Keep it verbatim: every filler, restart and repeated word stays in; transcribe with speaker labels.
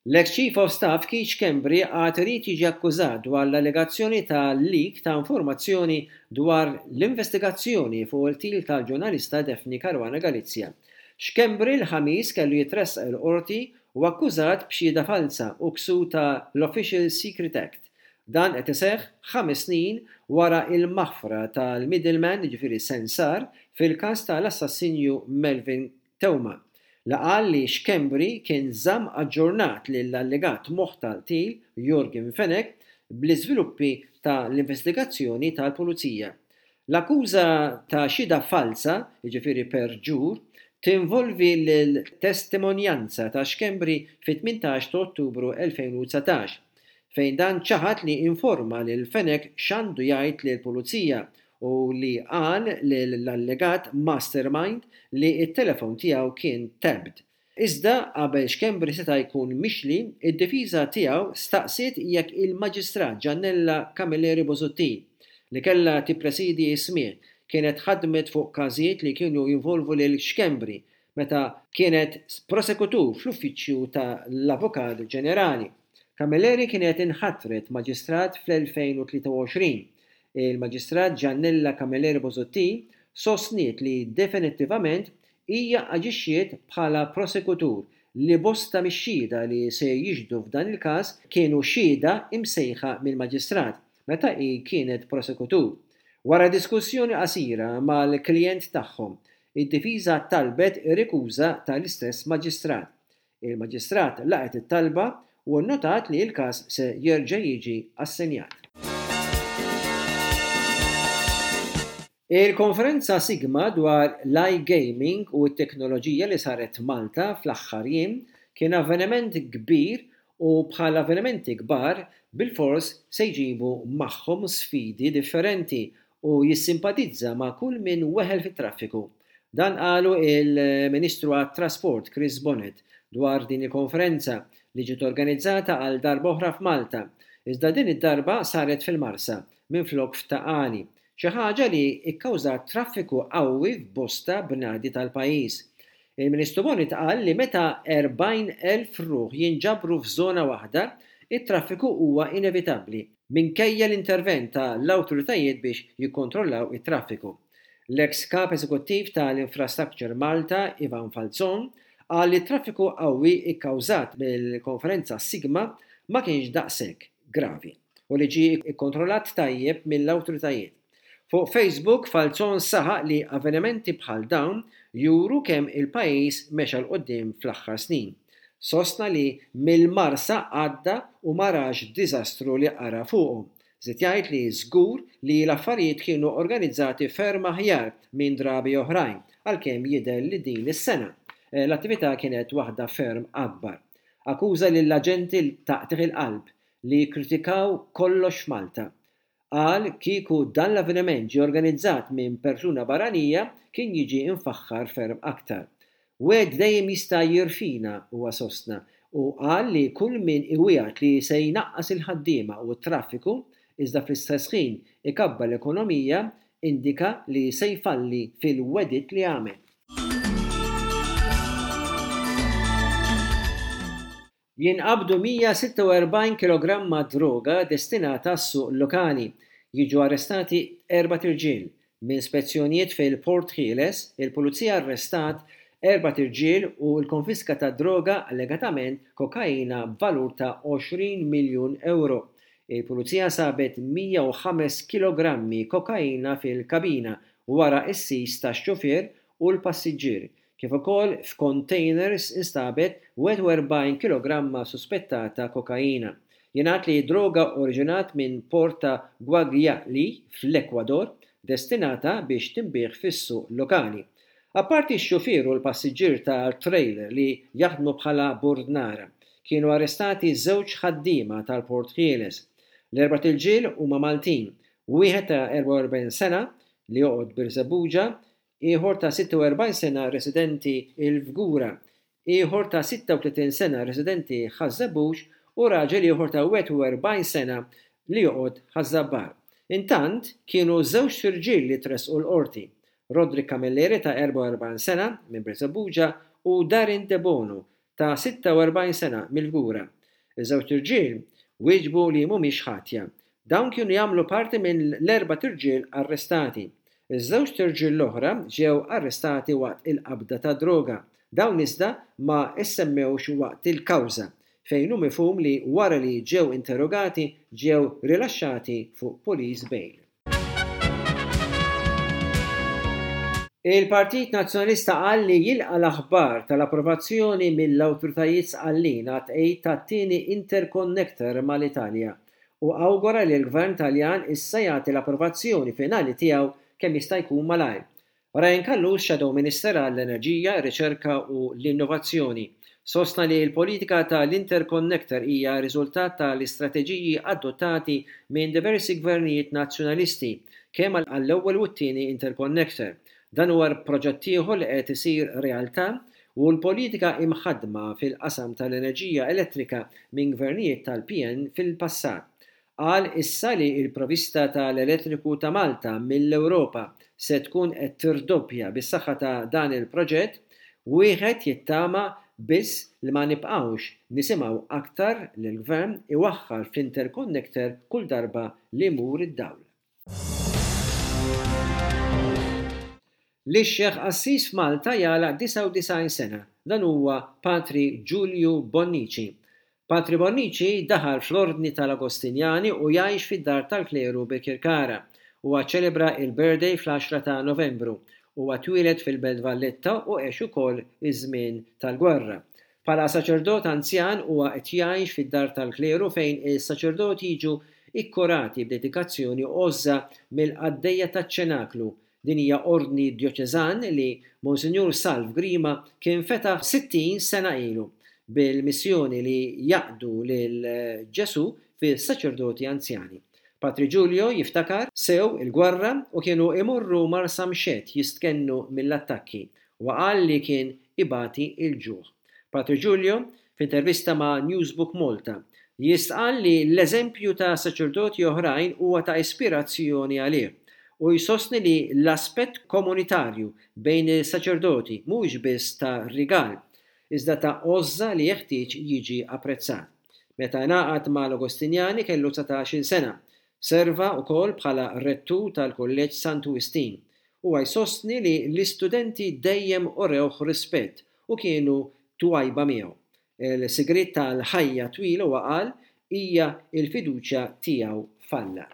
Speaker 1: L-ex Chief of Staff Keith Schembri għad irid jiġi akkużat dwar l-allegazzjoni ta' leak ta' informazzjoni dwar l-investigazzjoni fuq il-qtil tal-ġurnalista Daphne Caruana Galizia. Schembri l-Ħamis kellu jitressaq il-qorti u akkużat b'xhieda falsa u ksur ta' l-Official Secret Act. Dan qed iseħħ ħames snin wara il-maħfra tal-middleman, jiġifieri sensar, fil-każ tal-assassinju Melvin Theuma, li qal li Schembri kien żamm aġġornat lill-allegat moħħ tal-qtil Yorgen Fenech bl-iżviluppi ta' l-investigazzjoni tal-Pulizija. L-akkuża ta' xhieda falsa, jiġifieri perġur, tinvolvi l-testimonjanza ta' Schembri fit-tmintax ta' Ottubru elfejn u dsatax, fejn dan ċaħad li informa lil Fenech x'għandu jgħid lill-Pulizija u li qal l-allegat mastermind li t-telefon tiegħu kien tapped. Iżda qabel Schembri seta' jkun mixli, id-difiża tiegħu staqsiet jekk il-Maġistrat Giannella Camilleri Busuttil, li kellha tippresidi s-smigħ, kienet ħadmet fuq każijiet li kienu jinvolvu lil Schembri meta kienet prosekutur fl-uffiċċju tal-Avukat Ġenerali. Camilleri kienet inħatret maġistrat fl-elfejn u tlieta u għoxrin. Il-Maġistrat Giannella Camilleri Busuttil sostniet li definittivament hija aġixxiet bħala prosekutur li bosta mix-xhieda li se jixhdu f'dan il-każ kienu xhieda imsejħa mill-maġistrat meta hi kienet prosekutur. Wara diskussjoni qasira mal-klijent tagħhom, id-difiża talbet ir-rikuża tal-istess maġistrat. Il-maġistrat laqgħet it-talba u nnotat li l-każ se jerġa' jiġi assenjat. Il-konferenza Sigma dwar l-iGaming u t-teknoloġija li saret Malta fl-aħħar jiem kien avveniment kbir u bħal avvenimenti kbar bil-fors se jġibu magħhom sfidi differenti u jissimpatizza ma' kull min weħel fit-traffiku. Dan qalu il-Ministru għat-Trasport Chris Bonett dwar din il-konferenza li ġiet organizzata għal darba oħra f'Malta, iżda din id-darba saret fil-Marsa minflok f'Ta' Qali, xi ħaġa li kkawżat traffiku qawwi f'bosta bnadi tal-pajjiż. Il-Ministru Bonett qal li meta erbgħin elf ruħ jinġabru f'żona waħda, it-traffiku huwa inevitabbli minkejja l-intervent tal-awtoritajiet biex jikkontrollaw it-traffiku. L-ex kap eżekuttiv tal-Infrastructure Malta, Ivan Falzon, qal li t-traffiku qawwi kkawżat mill-konferenza Sigma ma kienx daqshekk gravi u li ġie ikkontrollat tajjeb mill-awtoritajiet. Fuq Facebook, Falzon saħaq li avvenimenti bħal dawn juru kemm il-pajjiż mexa 'l quddiem fl-aħħar snin. Sostna li mill-Marsa għadda u ma rax diżastru li qara fuqhom. Żied jgħid li żgur li l-affarijiet kienu organizzati ferm aħjar minn drabi oħrajn, għalkemm jidher li din is-sena l-attività kienet waħda ferm akbar. Akkuża lill-aġenti taqtigħ il-qalb li kkritikaw kollox f'Malta. Qal kieku dan l-avveniment ġie organizzat minn persuna barranija kien jiġi infaħħar ferm aktar. Wieħed dejjem jista' jirfina, huwa sostna, u qal li kull min iwiegħed li se jnaqqas il-ħaddiema u t-traffiku iżda fl-istess ħin ikabbar l-ekonomija indika li se jfalli fil-wegħdiet li għamel. Jinqabdu mija sitta u erbgħin kilogramma droga destinata għas-suq lokali. Jiġu arrestati erbat irġiel. Minn spezzjonijiet fil-Port Ħieles, il-Pulizija arrestat erbat irġiel u l-konfiska ta' droga allegatament kokaina b'valur ta' għoxrin miljun euro. Il-Pulizija sabet mija u ħames kilogrammi kokaina fil-kabina wara s-sis tax-xufier u l-passiġġier, kif ukoll f'containers instabet wieħed u erbgħin kilogramma suspettata kokaina. Jingħad li droga oriġinat minn port ta' Guayaquil fl-Ekwador, destinata biex tinbiegħ fis-suq lokali. Apparti x-xufier u l-passiġġier tal-trailer li jaħdmu bħala burdnara, kienu arrestati żewġ ħaddiema tal-Port Ħieles. L-erbat irġiel huma Maltin, wieħed ta' erbgħa u erbgħin sena li joqgħod Birżebbuġa, ieħor ta' sitta u erbgħin sena residenti il-Fgura, ieħor ta' sitta u tletin sena residenti Ħaż-Żebbuġ u raġel ieħor ta' wieħed u erbgħin sena li joqgħod Ħaż-Żabbar. Intant kienu żewġ irġiel li tressqu l-qorti, Roderick Camilleri ta' erbgħa u erbgħin sena minn Birżebbuġa u Darin Debono ta' sitta u erbgħin sena mill-Fgura. Iż-żewġt irġiel wieġbu li mhumiex ħatja. Dawn kienu jagħmlu parti minn l-erbat irġiel arrestati. Iż-żewġt irġiel l-oħra ġew arrestati waqt il-qabda ta' droga. Dawn iżda ma issemmewx waqt il-kawża, fejn hu mifhum li wara li ġew interrogati ġew rilaxxati fuq police bail. Il-Partit Nazzjonalista qal li jilqa' l-aħbar tal-approvazzjoni mill-awtoritajiet Sqallin għat-tqegħid tat-tieni interconnector mal-Italja u awgura li l-Gvern Taljan issa jagħti l-approvazzjoni finali tiegħu kemm jista' jkun malajr. Ryan Callus, Shadow Minister għall-Enerġija, ir-Riċerka u l-Innovazzjoni, sostna li l-politika tal-interconnector hija riżultat tal-istrateġiji adottati minn diversi gvernijiet Nazzjonalisti, kemm għall-ewwel u t-tieni interconnector. Dan huwa proġett ieħor li qed isir realtà u l-politika imħaddma fil-qasam tal-enerġija elettrika minn gvernijiet tal-P N fil-passat. Qal issa li l-provvista tal-elettriku ta' Malta mill-Ewropa se tkun qed tirdoppja bis-saħħa ta' dan il-proġett, wieħed jittama biss li ma nibqgħux nisimgħu aktar lill-gvern iwaħħal fl-interconnector kull darba li jmur id-dawl. L-Ixjeħ Qassis f'Malta jagħlaq disgħa u disgħin sena, dan huwa Patri Giulio Bonnici. Patri Bonnici daħal fl-Ordni tal-Agostinjani u jgħix fid-dar tal-kleru Birkirkara. Huwa ċelebra il-birthday fl-għaxra ta' Novembru. Huwa twieled fil-Belt Valletta u għex ukoll iż-żmien tal-gwerra. Bħala saċerdot anzjan huwa qed jgħix fid-dar tal-kleru fejn is-saċerdoti jiġu ikkurati b'dedikazzjoni għożża mill-qaddejja taċ-ċenaklu. Din hija ordni djoċeżan li Monsinjur Salv Grima kien fetaħ sittin sena ilu bil-missjoni li jaqdu lil Ġesu fis-saċerdoti anzjani. Patri Giulio jiftakar sew il-gwerra u kienu imorru Marsamxett jistkennu mill-attakki u qal li kien ibati il-ġuħ. Patri Giulio, f'intervista ma' Newsbook Malta, jistqal li l-eżempju ta' saċerdoti oħrajn huwa ta' ispirazzjoni għalih u jsostni li l-aspett komunitarju bejn is-saċerdoti mhuwiex biss ta' rigal, iżda ta' għożża li jeħtieġ jiġi apprezzat. Meta ngħaqad mal-Agostinjani kellu dsatax-il sena, serva wkoll bħala rettur tal-Kulleġġ Santu Wistin. Huwa jsostni li l-istudenti dejjem urewh rispett u kienu twajba miegħu. Il-sigriet tal-ħajja twila huwa qal hija l-fiduċja tiegħu f'Alla.